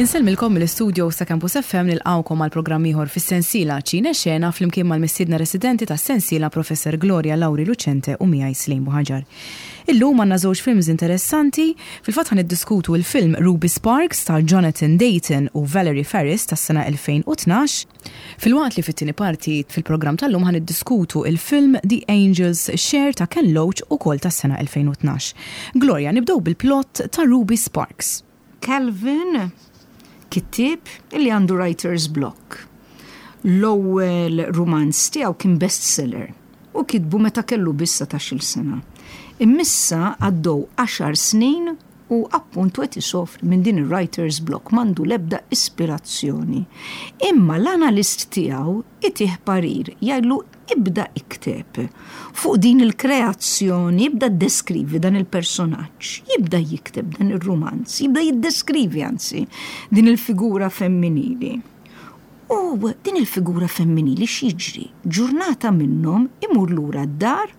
Insellmilkom mill-istudio sa Campus FM nilqgħukom għal programm ieħor fis-sensiela Ċine Xena flimkien mal-mistiedna residenti tas-sensiela Professor Gloria Lauri Lucente u miegħi Slim Buħaġar. Illum għandna żewġ films interessanti, fil-fatt ħa niddiskutu l-film Ruby Sparks ta' Jonathan Dayton u Valerie Faris tas-sena 2012, filwaqt li fit-tieni parti fil-programm tal-lum ħa niddiskutu l-film The Angel's Share ta' Ken Loach ukoll tas-sena 2012. Gloria, nibdew bil-plot ta' Ruby Sparks. Calvin, kittieb li għandu writer's block. L-ewwel rumanz tiegħu kien bestseller u kitbu meta kellu biss satax-il sena. Imma issa għaddew għaxar snin u appuntu qed isofri minn din ir-writer's block, m'għandu l-ebda ispirazzjoni. Imma l-analist tiegħu itih parir, jgħidlu Ibda ikteb fuq din il-kreazzjoni, ibda ddeskrivi dan il-personaġġ, jibda jikteb dan ir-rumanz, jibda jiddeskrivi anzi din il-figura femminili. U din il-figura femminili x'jiġri? Ġurnata minnhom imur lura d-dar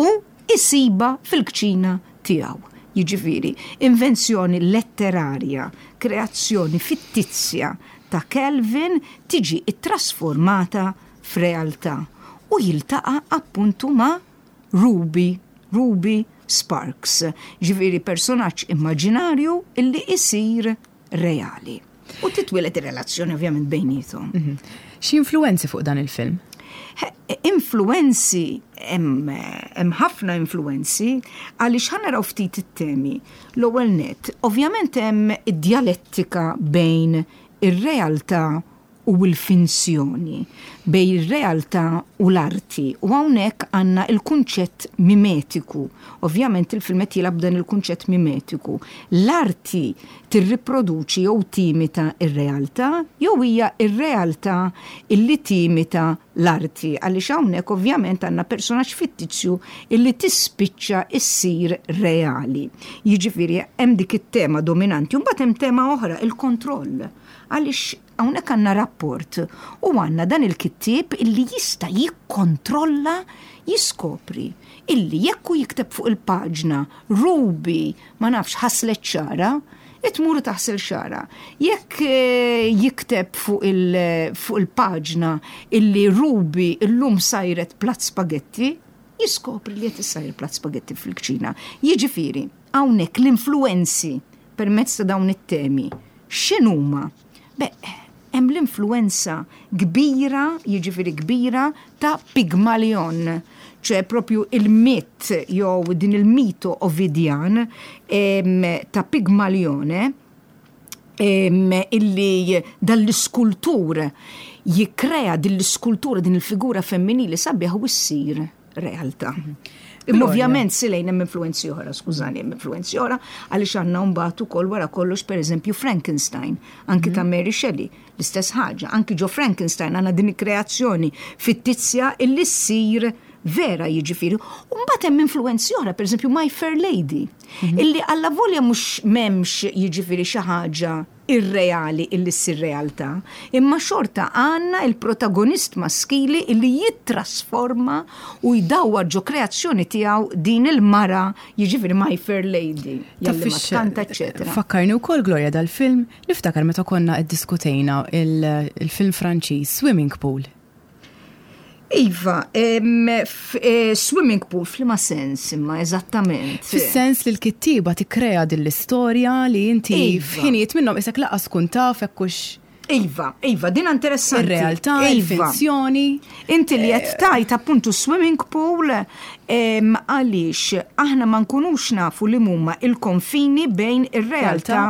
u jsibha fil-kċina tiegħu. Jiġifieri, invenzjoni letterarja, kreazzjoni fittizja ta' Calvin tiġi ttrasformata f'realtà u jiltaqa' appuntu ma' Ruby, Ruby Sparks, ġifieri personaġġ immaġinarju illi isir reali. U titwieled ir-relazzjoni ovvjament bejniethom. Xi influwenzi fuq dan il-film? Influwenzi, hemm ħafna influwenzi, għaliex ħa naraw ftit it-temi. L-ewwel nett, ovvjament hemm id-djalettika bejn ir-realtà u l-finzjoni, bejn ir-realtà u l-arti, u hawnhekk għandna l-kunċett mimetiku. Ovvjament il-film qed jilgħab b'dan il-kunċett mimetiku. L-arti tirriproduċi jew timita r-realtà jew hija r-realtà illi timita l-arti, għaliex hawnhekk ovvjament għandna personaġġ fittizju illi tispiċċa ssir reali. Jiġifieri hemm dik it-tema dominanti u mbagħad hemm tema oħra, il-kontroll. Għaliex hawnhekk għandna rapport u għandna dan il-kittieb illi jista' jikkontrolla, jiskopri illi jekk hu jikteb fuq il-paġna Ruby ma nafx ħaslet xagħarha, tmur u taħsel xagħarha. Jekk jikteb fuq il-paġna illi Ruby llum sajret platt spagetti, jiskopri li qed issajjar platt spagetti fil-kċina. Jiġifieri, hawnhekk l-influwenzi permezz ta' dawn it-temi, x'inhuma? Beh, hemm l-influwenza kbira, jiġifieri kbira, ta' Pygmalion, ċe propju il-mit jew din il-mito Ovidjan ta' Pygmalione, illi dan l-iskultur jikkrea din l-iskultura, din il-figura femminili sabiħa u ssir realtà. Imma ovvjament silejn hemm influenzi oħra, skużani, hemm influenzi oħra, għaliex għandna mbagħad ukoll wara kollox pereżempju Frankenstein, anki ta' Mary Shelley, l-istess ħaġa, anki ġo Frankenstein għandna din il-kreazzjoni fittizja illi ssir vera jiġifieri. U mbagħad hemm influenzi oħra, pereżempju My Fair Lady, illi allavolja mhux m'hemmx jiġifieri xi ħaġa irreali illi ssir realtà, imma xorta għandna il-protagonist maskili illi jittrasforma u jdawwar ġo kreazzjoni tiegħu din il-mara, jiġifieri My Fair Lady, jalli ma tkanta, eċċetera. Fakkarni wkoll Gloria dal-film, niftakar meta konna iddiskutejna il-film Franċiż Swimming Pool. Iva, eh, swimming pool f'liema sens imma eżattament? Fis-sens li l-kittieba tikkrea din l-istorja li inti iva. f'ħinijiet minnhom isek laqas tkun taf hekk hux Iva, iva, din interessanti. Ir-realtà, iva. il-finzjoni. Inti li qed tajt appuntu swimming pool għaliex aħna ma nkunux nafu li huma il-konfini bejn ir-realtà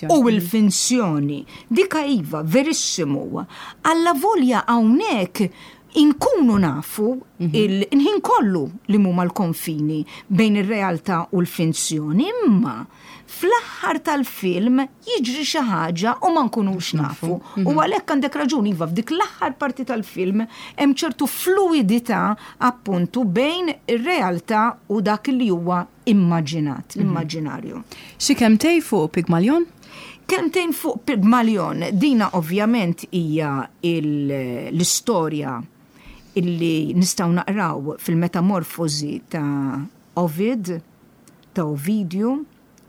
u l-finzjoni. Dika iva, verissimu. Allavolja hawnhekk inkunu nafu il-ħin kollu li huma l-konfini bejn ir-realtà u l-finzjoni, imma fl-aħħar tal-film jiġri xi ħaġa u ma nkunux nafu. U għalhekk għandek raġun, iva, f'dik l-aħħar parti tal-film hemm ċertu fluwidità appuntu bejn ir-realtà u dak li huwa immaġinat, l-immaġinarju. Xi kelmtejn fuq Pygmalion? Kelmtejn fuq Pygmalion, dina ovvjament hija l-istorja illi nistgħu naqraw fil-Metamorfosi ta' Ovid, ta' Ovidju.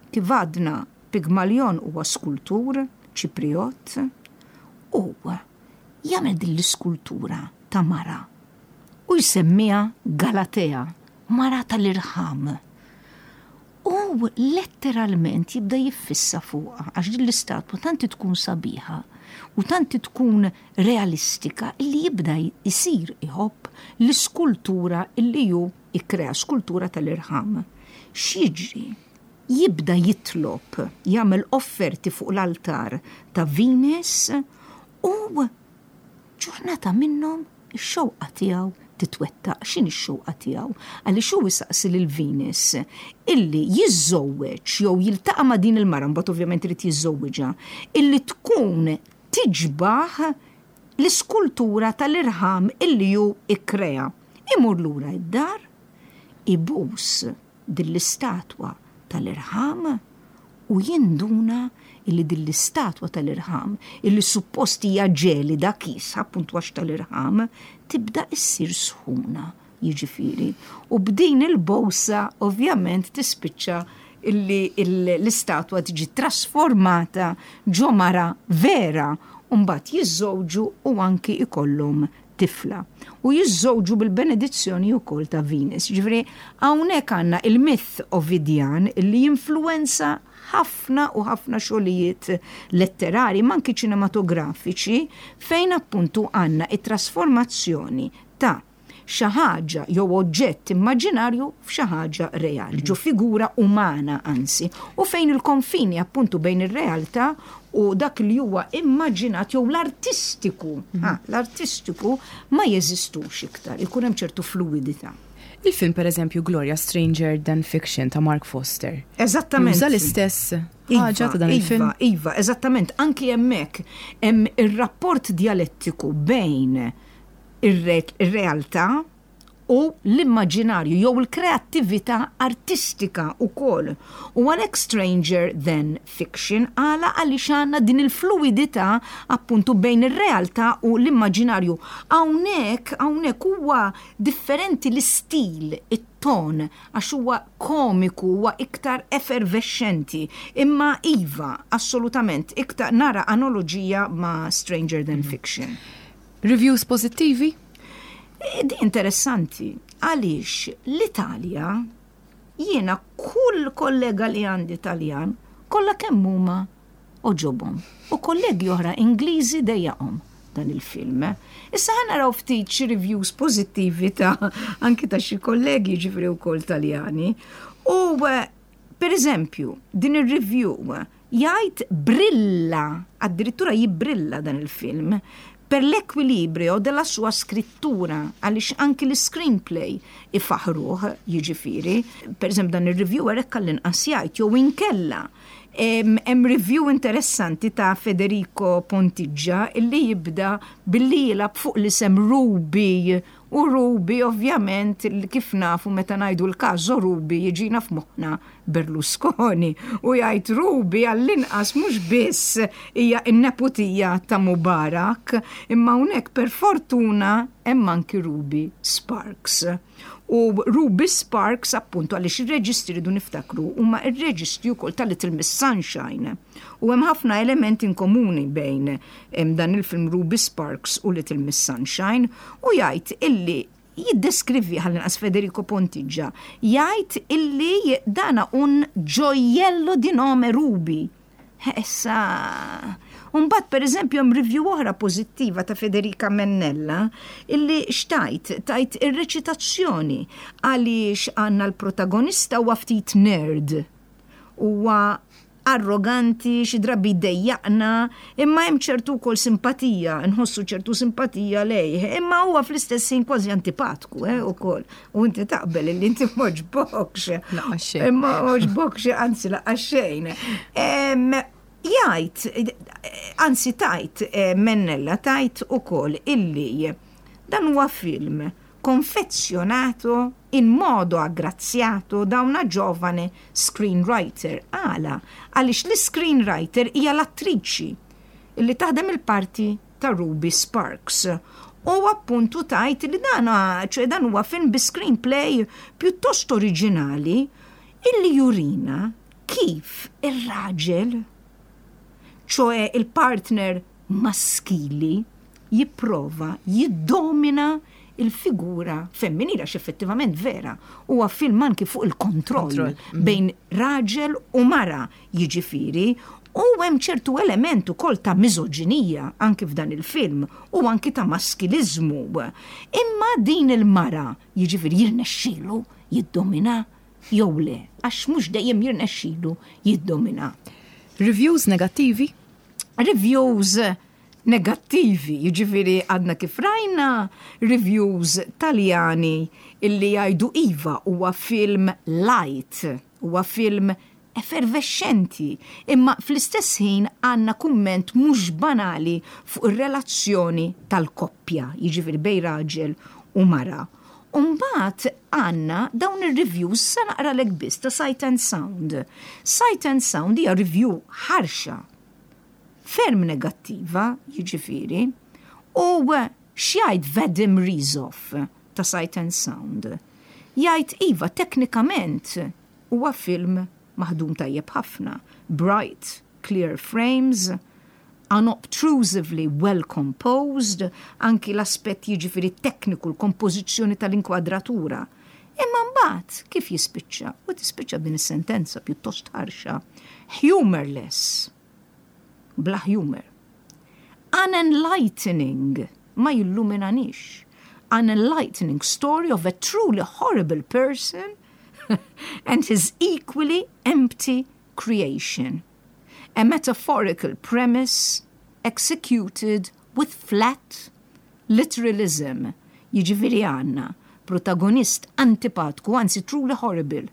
Kif għadna, Pygmalion huwa skultur, Ċipriott u jagħmel din l-iskultura ta' mara u jsemmiha Galatea, mara tal-irħam. U letteralment jibda jiffissa fuqha għax din l-istatwa tant tkun sabiħa u tant tkun realistika illi jibda jsir iħobb l-iskultura illi hu ikkrea, skultura tal-irħam. X'jiġri? Jibda jitlob, jagħmel offerti fuq l-altar ta' Venus u ġurnata minnhom ix-xewqa tiegħu titwettaq. X'inhi x-xewqa tiegħu? Għaliex hu jsaqsi lil Venus illi jiżżewweġ jew jiltaqa' ma' din il-mara, mbagħad ovvjament irid jiżżewwiġha, illi tkun tiġbah l-iskultura tal-irħam illi hu kkrea. Imur lura d-dar, ibus din l-istatwa tal-irħam u jinduna illi din l-istatwa tal-irħam, illi suppost hija ġelida kiesħa appuntu għax tal-irħam, tibda issir sħuna, jiġifieri. U b'din il-bowsa ovvjament tispiċċa illi l-istatwa tiġi trasformata ġo mara vera u mbagħad jiżżewġu u anki ikollhom tifla u jiżżewġu bil-benedizzjoni wkoll ta' Venus. Ġifieri hawnhekk għandna il-myth Ovidjan li jinfluwenza ħafna u ħafna xogħlijiet letterari ma anki ċinematografiċi fejn appuntu għandna it-trasformazzjoni ta' xi ħaġa jew oġġett immaġinarju f'xi ħaġa reali, ġo figura umana anzi, u fejn il-konfini appuntu bejn ir-realtà u dak li huwa immaġinat jew l-artistiku, mhm. ah, l-artistiku ma jeżistux iktar, ikun hemm ċertu fluidità. Il-film per eżempju Gloria Stranger Than Fiction ta' Mark Foster. Eżattament. Juża l-istess iva, ħaġa ta' dan il-film. Iva, iva, eżattament. Anki hemmhekk hemm ir-rapport dialettiku bejn ir-realtà u l-immaġinarju jew il-kreattività artistika wkoll. U għalhekk Stranger Than Fiction għala għaliex għandna din il-fluwidità appuntu bejn ir-realtà u l-immaġinarju. Hawnhekk hawnhekk huwa differenti l-istil, it-ton, għax huwa komiku, huwa iktar effervexxenti. Imma iva, assolutament, iktar nara analoġija ma' Stranger Than Fiction. Reviews pożittivi? Di interessanti, għaliex l-Italja jiena kull kollega li għandi Taljan kollha kemm huma għoġobhom. U kollegi oħra Ingliżi dejjaqhom dan il-film. Issa ħa naraw ftit xi reviews pożittivi ta' anki ta' xi kollegi ġifieri wkoll Taljani. U per eżempju, din ir-review Jgħid brilla, addirittura jibbrilla dan il-film, per l'equilibrio della sua scrittura, għaliex anki l-iscreenplay ifaħħruh, jiġifieri, per eżempju dan ir-reviewer hekk għall-inqas jgħid, jew inkella hemm review interessanti ta' Federico Pontiggia illi jibda billi jilgħab fuq l-isem Ruby u Ruby ovvjament kif nafu meta ngħidu l-caso Ruby jiġina f'moħħna Berlusconi u jgħid Ruby għall-inqas mhux biss hija n-neputija ta' Mubarak, imma hawnhekk per fortuna hemm anki Ruby Sparks. U Ruby Sparks appuntu għaliex ir-reġistri rridu niftakru huma r-reġistri wkoll ta' Little Miss Sunshine. U hemm ħafna elementi in komuni bejn dan il-film Ruby Sparks u Little Miss Sunshine u jgħid illi jiddeskrivi għall-inqas Federico Pontiggia, jgħid illi dana un gioiello di nome Ruby. Issa, Umbagħad per eżempju hemm review oħra pożittiva ta' Federica Mennella illi xtajt, tajt ir-reċitazzjoni għaliex għandna l-protagonista huwa ftit nerd. Huwa arroganti, xi drabi jdejjaqna, imma hemm ċertu wkoll simpatija, nħossu ċertu simpatija lejh, imma huwa fl-istess ħin kważi antipatku, eh, ukoll. U inti taqbel illi inti m'għoġbokx. Laqgħa xejn. Imma m'għoġbokx, anzi laqgħa xejn. Jgħid, anzi tajt eh, Mennella tajt ukoll illi dan huwa film confezionato in modo aggraziato da una giovane screenwriter. Għala? Għaliex l-iscreenwriter hija l-attriċi li taħdem il-parti ta' Ruby Sparks. U appuntu tajt li dan, ċe dan huwa film bi screenplay pjuttost oriġinali illi jurina kif ir-raġel. ċoe il-partner maskili jipprova jiddomina il-figura femminili għax effettivament vera huwa film anki fuq il-kontroll mhm. bejn raġel u mara jiġifieri u hemm ċertu element ukoll ta' miżoġinija anki f'dan il-film u anki ta' maskiliżmu. Imma din il-mara jiġifieri jirnexxielu jiddomina jew le, għax mhux dejjem jirnexxilu jiddomina. Reviews negattivi? Reviews negattivi, jiġifieri għadna kif rajna reviews Taljani illi jgħidu iva huwa film light, huwa film effervexxenti, imma fl-istess ħin għandna kumment mhux banali fuq ir-relazzjoni tal-koppja, jiġifieri bejn raġel u mara. U mbagħad għandna dawn ir-reviews sa naqralek biss ta' Sight and Sound. Sight and Sound hija review ħarxa, ferm negattiva, jiġifieri, u x'jgħid Vadim Rizov ta' Sight and Sound? Jgħid iva teknikament huwa film maħdum tajjeb ħafna, bright, clear frames, unobtrusively well composed, anki l-aspett jiġifieri tekniku, l-kompożizzjoni tal-inkwadratura. Imma mbagħad kif jispiċċa? U tispiċċa b'din is-sentenza pjuttost ħarxa. Humorless. Bla humor. Unenlightening. Ma jilluminanix. Unenlightening story of a truly horrible person and his equally empty creation. A metaphorical premise executed with flat literalism. Jiġifieri għandna protagonist antipatku, anzi truly horrible.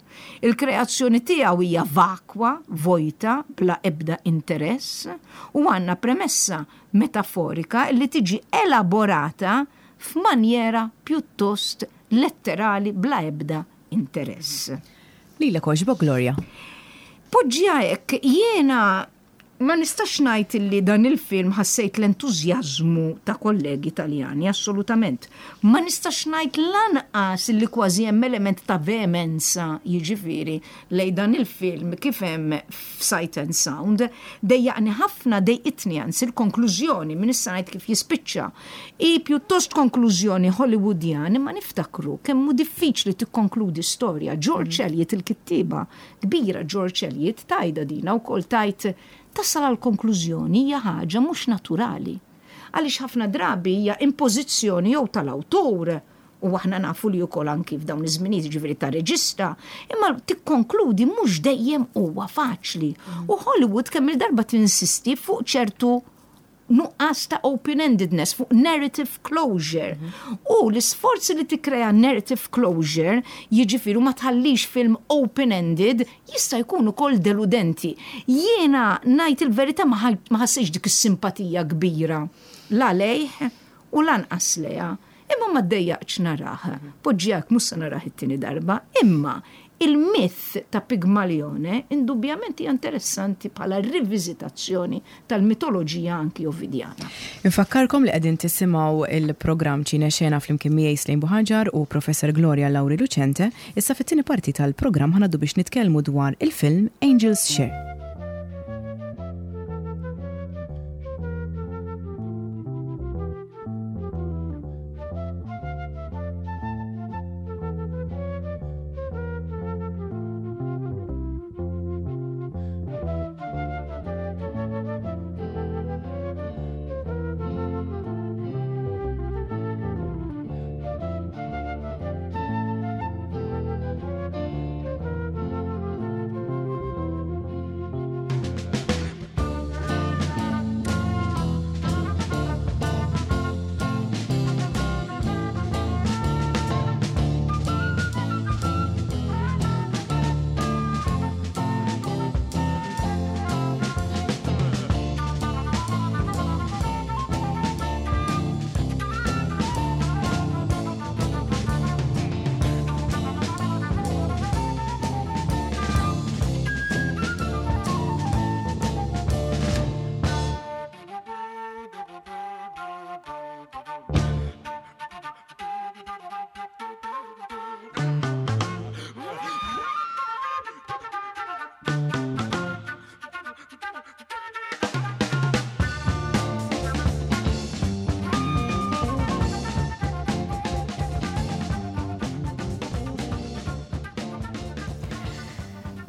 Il-kreazzjoni tiegħu hija vakwa, vojta, bla ebda interess, u għandna premessa metaforika li tiġi elaborata f'manjera pjuttost letterali bla ebda interess. Lilek għoġbok Gloria? Poġġiha hekk, jiena ma nistax ngħid illi dan il-film ħassejt l-entużjażmu ta' kollegi Taljani, assolutament. Ma nistax ngħid lanqas illi kważi hemm element ta' veemenza, jiġifieri, lejn dan il-film kif hemm f'Sight and Sound. Dejjaqni ħafna, dejqitni anzi l-konklużjoni, minn issa ngħid kif jispiċċa. Hi pjuttost konklużjoni Hollywoodjan imma niftakru kemm hu diffiċli tikkonkludi storja. George Eliot il-kittieba kbira George Eliot tgħidha dina wkoll tgħid tasal għal konklużjoni hija ħaġa mhux naturali. Għaliex ħafna drabi hija impożizzjoni jew tal-awtur u aħna nafu li wkoll anki f'dawn iż-żminijiet jiġifieri ta' reġista, imma tikkonkludi mhux dejjem huwa faċli. U Hollywood kemm-il darba tinsisti fuq ċertu nuqqas ta' open-endedness, fuq narrative closure. U l-isforzi li tikkrea narrative closure, jiġifieri ma tħallix film open-ended, jista' jkun ukoll deludenti. Jiena ngħid il-verità ma ħassejtx dik is-simpatija kbira la lejh u lanqas lejha. Imma ma ddejjaqtx narah. Poġġi hekk mhux se narah it-tieni darba. Imma il-myth ta' Pigmalione indubbjament hija interessanti bħala riviżitazzjoni tal-mitoloġija anki Ovidjana. Infakkarkom li qegħdin tisimgħu il-programm Ċine Xena flimkien miegħi Slejn Buhaġar u Professor Gloria Lauri Lucente. Issa fit-tieni parti tal-programm ħa ngħaddu biex nitkellmu dwar il-film Angel's Share.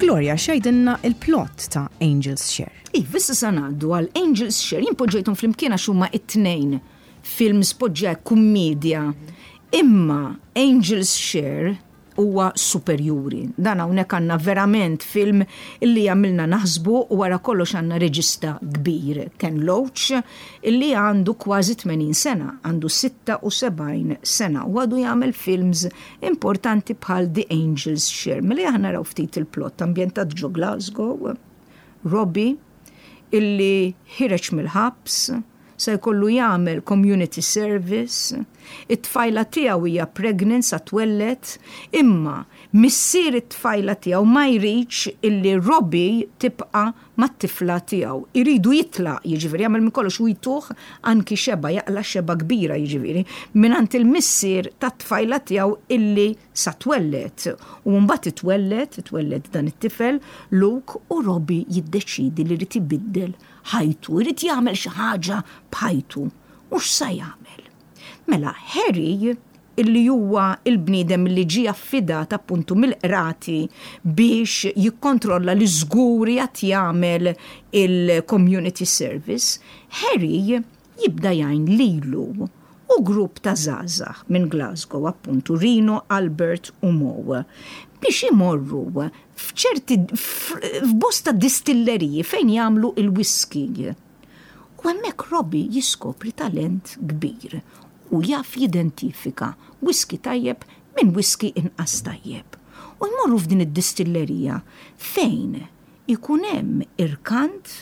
Gloria, x'jgħidilna il-plot ta' Angel's Share? Iva, issa sa ngħaddu għal Angel's Share. Jien poġġejthom flimkien għax huma it-tnejn films poġġa kummedja. Imma Angel's Share huwa superjuri. Dan hawnhekk għandna verament film illi jagħmilna naħsbu u wara kollox għandna reġista kbir, Ken Loach, illi għandu kważi 80 sena, għandu 76 sena u għadu jagħmel films importanti bħal The Angel's Share. Mela aħna naraw ftit il-plot ambjentat ġo Glasgow, Robbie, illi ħireġ mill-ħabs, se jkollu jagħmel community service, it-tfajla tiegħu hija pregnant sa twelled, imma missier it-tfajla tiegħu ma jridx illi Robbie tibqa' mat-tifla tiegħu. Iridu jitlaq, jiġifieri jagħmel minn kollox u jtuh anki xebgħa, jaqla' xebgħa kbira jiġifieri, mingħand il-missier tat-tfajla tiegħu illi sa twelled. U mbagħad itwelled, itwelled dan it-tifel, Luke, u Robbie jiddeċiedi li jrid ibiddel ħajtu, irid jagħmel xi ħaġa b'ħajtu. U x'sa jagħmel? Mela, Harry, illi huwa il-bniedem li ġie affidat appuntu mill-qrati biex jikkontrolla li żgur qiegħed jagħmel il-community service, Harry jibda jgħin lilu u grupp ta' żgħażagħ minn Glasgow appuntu Rino, Albert u Mo biex imorru f'ċerti f'bosta distilleriji fejn jagħmlu il-whisky. U hemmhekk Robbie jiskopri talent kbir u jaf jidentifika whisky tajjeb minn whisky inqas tajjeb. U jmorru f'din id-distillerija fejn ikun hemm irkant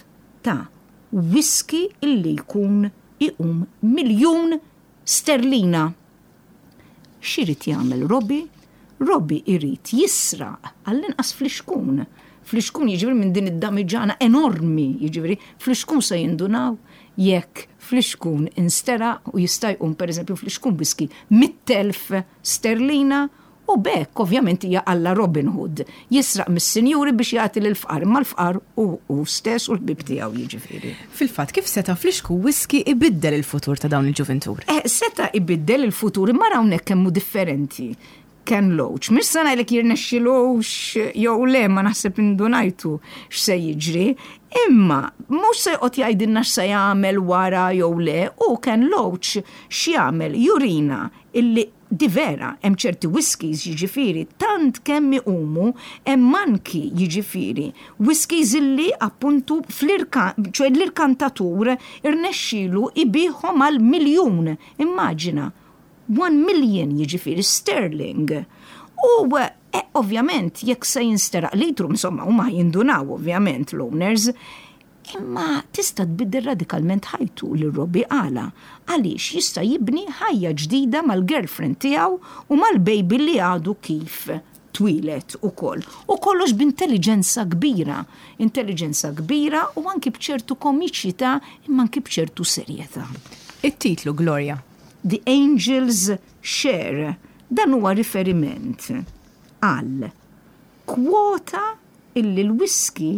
ta' whisky illi jkun iqum miljun sterlina. X'irid jagħmel Robbie? Robbie irid jisraq għall-inqas flixkun. Flixkun jiġifieri minn din id-damiġana enormi, jiġifieri flixkun se jindunaw jekk flixkun insteraq u jista' jqum pereżempju flixkun whisky 100,000 sterlina U b'hekk, ovvjament hija alla Robin Hood, jisraq mis-sinjuri biex jagħti lill-fqar, imma l-fqar hu hu stess u l-ħbieb tiegħu jiġifieri. Fil-fatt, kif seta' flixku whisky ibiddel il-futur ta' dawn il-ġuvintur? Eh, seta' ibiddel il-futur, imma ara hawnhekk kemm hu differenti Ken Loach. Mhux se ngħidlek jirnexxilux jew le, ma naħseb indunajtu x'se jiġri, imma mhux se joqgħod jgħidilna x'se jagħmel wara jew le, hu Ken Loach x'jagħmel? Jurina illi Di vera, hemm ċerti whiskies jiġifieri tant kemm iqumu, hemm anki jiġifieri whiskies illi appuntu fl-irka, ċoe l-irkantatur irnexxielu jbigħhom għal miljun, immaġina, one million jiġifieri sterling. U ovvjament jekk se jinsteraq litru, insomma huma jindunaw ovvjament l-owners, Imma tista' tbiddel radikalment ħajtu lil Robbie għala? Għaliex jista' jibni ħajja ġdida mal-girlfriend tiegħu u mal-baby li għadu kif twieled ukoll. U kollox b'intelliġenza kbira. Intelliġenza kbira u anki b'ċertu komiċità imma anki b'ċertu serjetà. It-titlu, Gloria? The Angel's Share. Dan huwa riferiment għal kwota illi l-whisky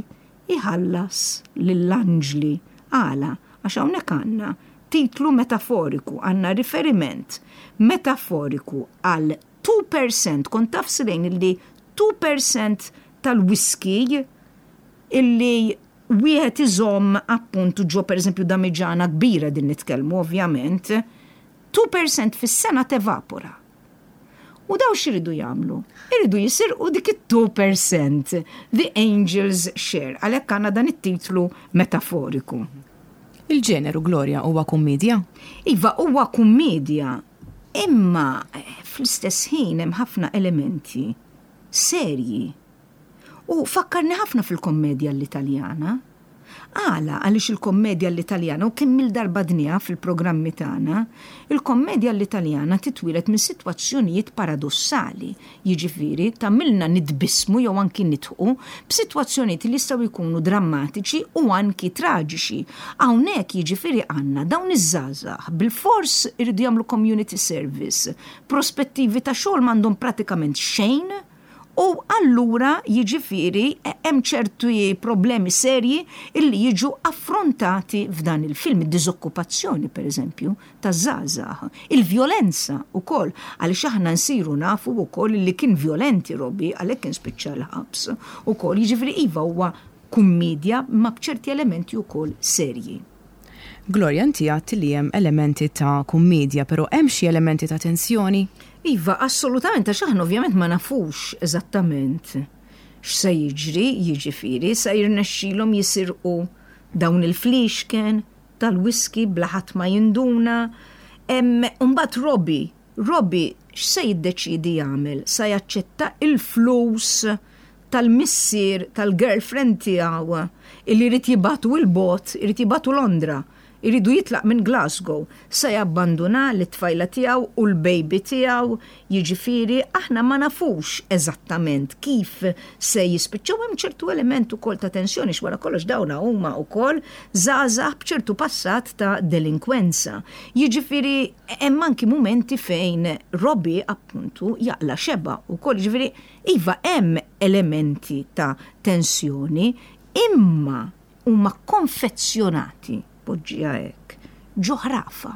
iħallas lill-anġli. Għala? Għax hawnhekk għandna titlu metaforiku, għandna riferiment metaforiku għal 2%, kont taf Silejn illi 2% tal-whisky illi wieħed iżomm appuntu ġo pereżempju damiġana kbira din nitkellmu ovvjament, 2% fis-sena tevapora. U daw x'iridu jagħmlu? Iridu jisirqu dik it-2%, the angel's share, għalhekk għandna dan it-titlu metaforiku. Il-ġeneru Gloria huwa kummedja? Iva, huwa kummedja, imma fl-istess ħin hemm ħafna elementi serji. U fakkarni ħafna fil-kommedja l-Italjana. Għala? Għaliex il-kommedja l-Italjana, u kemm-il darba għedniha fil-programmi tagħna, il-kommedja l-Italjana titwieled minn sitwazzjonijiet paradossali, jiġifieri tagħmilna nitbissmu jew anki nidħqu b'sitwazzjonijiet li jistgħu jkunu drammatiċi u anki traġiċi. Hawnhekk jiġifieri għandna dawn iż-żgħażagħ bilfors iridu jagħmlu community service, prospettivi ta' xogħol m'għandhom pratikament xejn. U allura jiġifieri hemm ċerti problemi serji illi jiġu affrontati f'dan il-film, id-diżokkupazzjoni pereżempju taż-żgħażagħ, il-vjolenza wkoll għaliex aħna nsiru nafu wkoll illi kien vjolenti Robbie għalhekk kien spiċċa l-ħabs ukoll, jiġifieri iva huwa kummiedja imma b'ċerti elementi wkoll serji. Gloria, inti għedt li hemm elementi ta' kummiedja, però hemm xi elementi ta' tensjoni? Iva, assolutament, għax aħna ovvjament ma nafux eżattament x'se jiġri, jiġifieri se jirnexxilhom jisirqu dawn il-fliexken tal-whisky bla ħadd ma jinduna. U mbagħad Robbie, Robbie x'se jiddeċiedi jagħmel? Se jaċċetta il-flus tal-missier tal-girlfriend tiegħu illi jrid jibagħtu 'l bogħod, irid jibagħtu Londra, iridu jitlaq minn Glasgow, se jabbanduna lit-tfajla tiegħu u l-baby tiegħu, jiġifieri aħna ma nafux eżattament kif se jispiċċaw, hemm ċertu element ukoll ta' tensjoni għax wara kollox dawn huma wkoll żgħażagħ b'ċertu passat ta' delinkwenza. Jiġifieri hemm anki mumenti fejn Robbie appuntu jaqla' xebgħa wkoll, jiġifieri Iva hemm elementi ta' tensjoni imma huma konfezzjonati, poġġiha hekk, ġo ħrafa.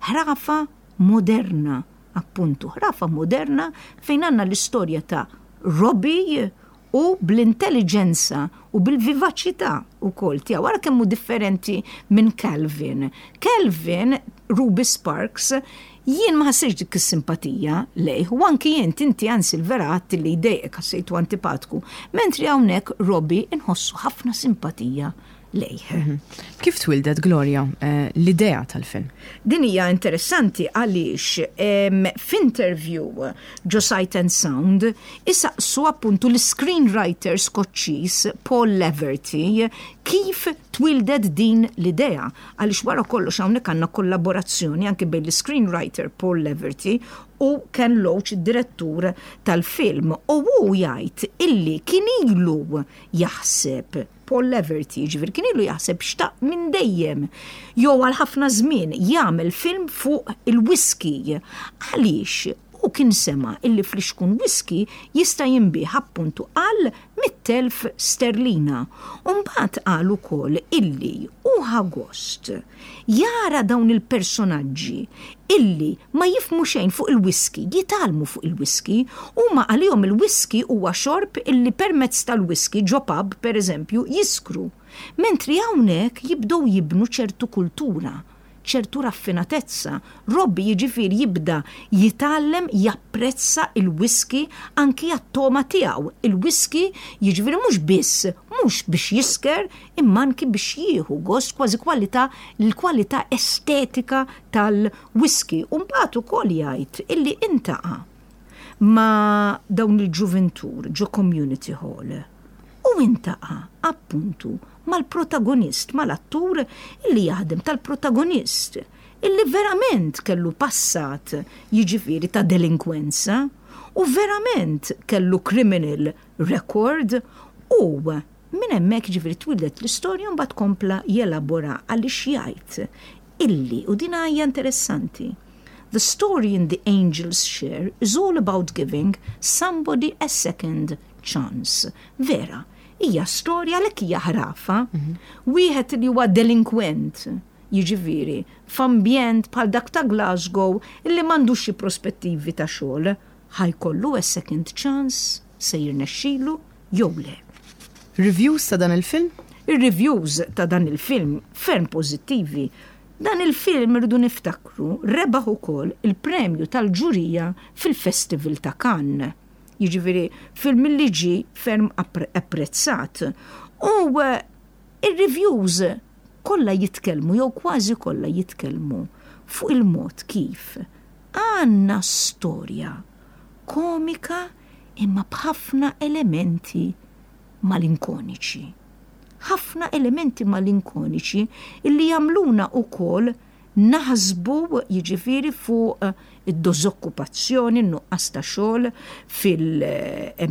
Ħrafa moderna, appuntu, ħrafa moderna fejn għandna l-istorja ta' Robbie u bl-intelliġenza u bil-vivaċità wkoll tiegħu. Ara kemm hu differenti minn Calvin. Calvin, Ruby Sparks, jien ma ħassejtx dik is-simpatija lejh u anki int, inti anzi l-vera għedt li jdejqek ħassejtu antipatku. Mentri hawnhekk Robbie inħossu ħafna simpatija lejh. Kif twildet, Gloria, l-idea tal-film? Din hija interessanti għaliex f'interview ġo Sight and Sound isaqsu appuntu l-screenwriter Skoċċiż Paul Laverty kif twildet din l-idea għaliex wara kollox hawnhekk għandna kollaborazzjoni anki bejn l-screenwriter Paul Laverty u Ken Loach id-direttur tal-film u hu jgħid illi kien ilu jaħseb Paul Laverty, jiġifieri kien ilu jaħseb xtaq minn dejjem jew għal ħafna żmien jagħmel film fuq il-whisky. Għaliex hu kien sema' illi flixkun whisky jista' jinbiegħ appuntu għal 100,000 sterlina. U mbagħad qal ukoll illi hu ħa gost jara dawn il-personaġġi illi ma jifhmu xejn fuq il-whisky, jitgħallmu fuq il-whisky. Huma għalihom il-whisky huwa xorb illi permezz tal-whisky ġo pub, per eżempju, jiskru. Mentri hawnhekk jibdew jibnu ċertu kultura, ċertu raffinatezza. Robbie jiġifieri jibda jitgħallem japprezza il-whisky anki għat-togħma tiegħu. Il-whisky jiġifieri mhux biss, mhux biex jisker, imma anki biex jieħu gost kważi kwalità l-kwalità estetika tal-whisky. U mbagħad ukoll jgħid illi intaqa' ma' dawn il-ġuvintur ġo community hall u intaqa' appuntu mal-protagonist, mal-attur illi jaħdem tal-protagonist illi verament kellu passat jiġifieri ta' delinkwenza u verament kellu criminal record u Minn hemmhekk jiġifieri twieldet l-istorja u mbagħad kompla jelabora għaliex jgħid illi, u din hija interessanti, The story in The Angel's Share is all about giving somebody a second chance. Vera, hija storja għalhekk hija ħrafa. Wieħed li huwa delinkwent, jiġifieri f'ambjent bħal dak ta' Glasgow illi m'għandux xi prospettivi ta' xogħol, ħa jkollu a second chance? Se jirnexxilu? jew le. Reviews ta' dan il-film? Ir-reviews ta' dan il-film ferm pożittivi. Dan il-film irridu niftakru rebaħ ukoll il-premju tal-ġurija fil-Festival ta' Cannes. Jiġifieri film li ġie ferm apprezzat. U ir-reviews kollha jitkellmu jew kważi kollha jitkellmu fuq il-mod kif għandna storja komika imma b'ħafna elementi malinkoniċi. Ħafna elementi malinkoniċi illi jagħmluna wkoll naħsbu jiġifieri fuq id-dożokkupazzjoni, n-nuqqas ta' xogħol fil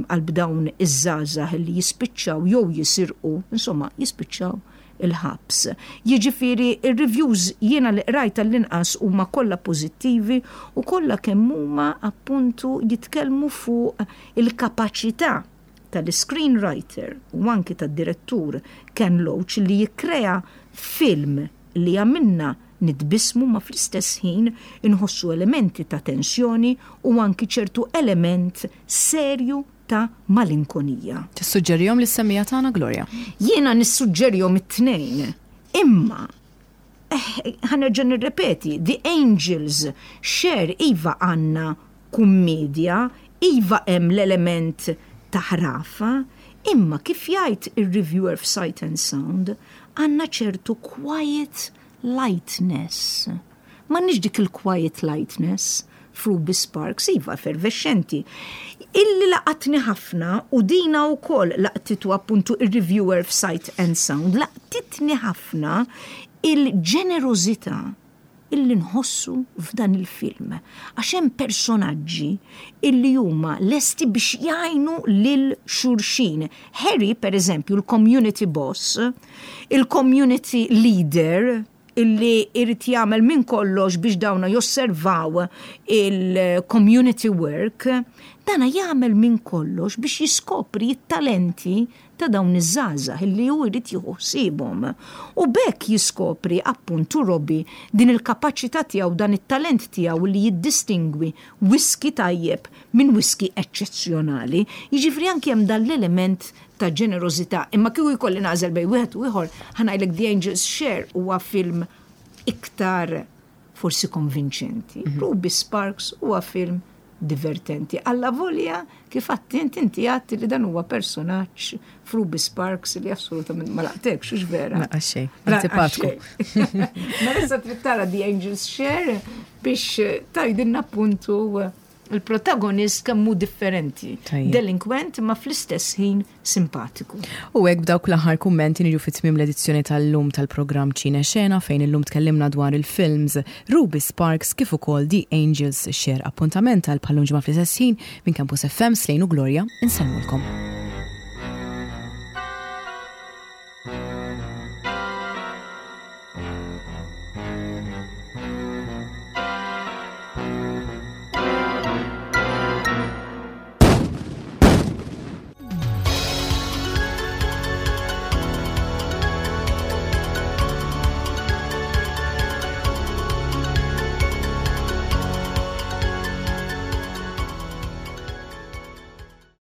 qalb dawn iż-żgħażagħ li jispiċċaw jew jisirqu, insomma jispiċċaw il-ħabs. Jiġifieri r-reviews jiena li qrajt għall-inqas huma kollha pożittivi u kollha kemm huma appuntu jitkellmu fuq il-kapaċità tal-iscreenwriter u anki tad-direttur Ken Loach li jikkrea film li jagħmilna nitbissmu ma fl-istess ħin inħossu elementi ta' tensjoni u anki ċertu element serju ta' malinkonija. Tissuġġerihom lis-semmiegħa tagħna, Gloria? Jiena nissuġġerihom it-tnejn. Imma, eh, ħa nerġa' nirrepeti, The Angels Share iva għandna kummedja, iva hemm l-element ta' ħrafa, imma kif jgħid ir-reviewer f'Sight and Sound, għandna ċertu quiet lightness. M'għandniex dik il-quiet lightness f'Ruby Sparks, iva effervexxenti. Illi laqatni ħafna u dina wkoll laqtitu appuntu ir-reviewer f'Sight and Sound, laqtitni ħafna il-ġenerożità illi nħossu f'dan il-film. Għax hemm personaġġi illi huma lesti biex jgħinu lil xulxin. Harry, per eżempju, il-community boss, il-community leader, illi jrid jagħmel minn kollox biex dawna josservaw il-community work, dana jagħmel minn kollox biex jiskopri t-talenti ta' dawn iż-żgħażagħ illi hu jrid jieħu ħsiebhom. U b'hekk jiskopri appuntu Robbie din il-kapaċità tiegħu, dan it-talent tiegħu li jiddistingwi whisky tajjeb minn whisky eċċezzjonali. Jiġifieri anki hemm dan l-element ta' ġenerożità. Imma kieku jkolli nagħżel bejn wieħed u ieħor, ħa ngħidlek The Angel's Share huwa film iktar forsi konvinċenti. Ruby Sparks huwa film divertenti. Allavolja kif għedt int inti għedt li dan huwa personaġġ f'Ruby Sparks li assolutament ma laqtekx, hux vera? Lanqas xejn, antipatku. Mela issa trid tara The Angel's Share biex tgħidilna appuntu il-protagonist kemm hu differenti. Delinkwent ma fl-istess ħin simpatiku. U hekk b'dawk l-aħħar kummenti niġu fi tmiem l-edizzjoni tal-lum tal-programm Ċine Xena fejn illum tkellimna dwar il-films Ruby Sparks kif ukoll The Angels Share. Appuntament għal bħal-lum ġimgħa fl-istess ħin minn Campus FM Slejn u Gloria insellmulkom.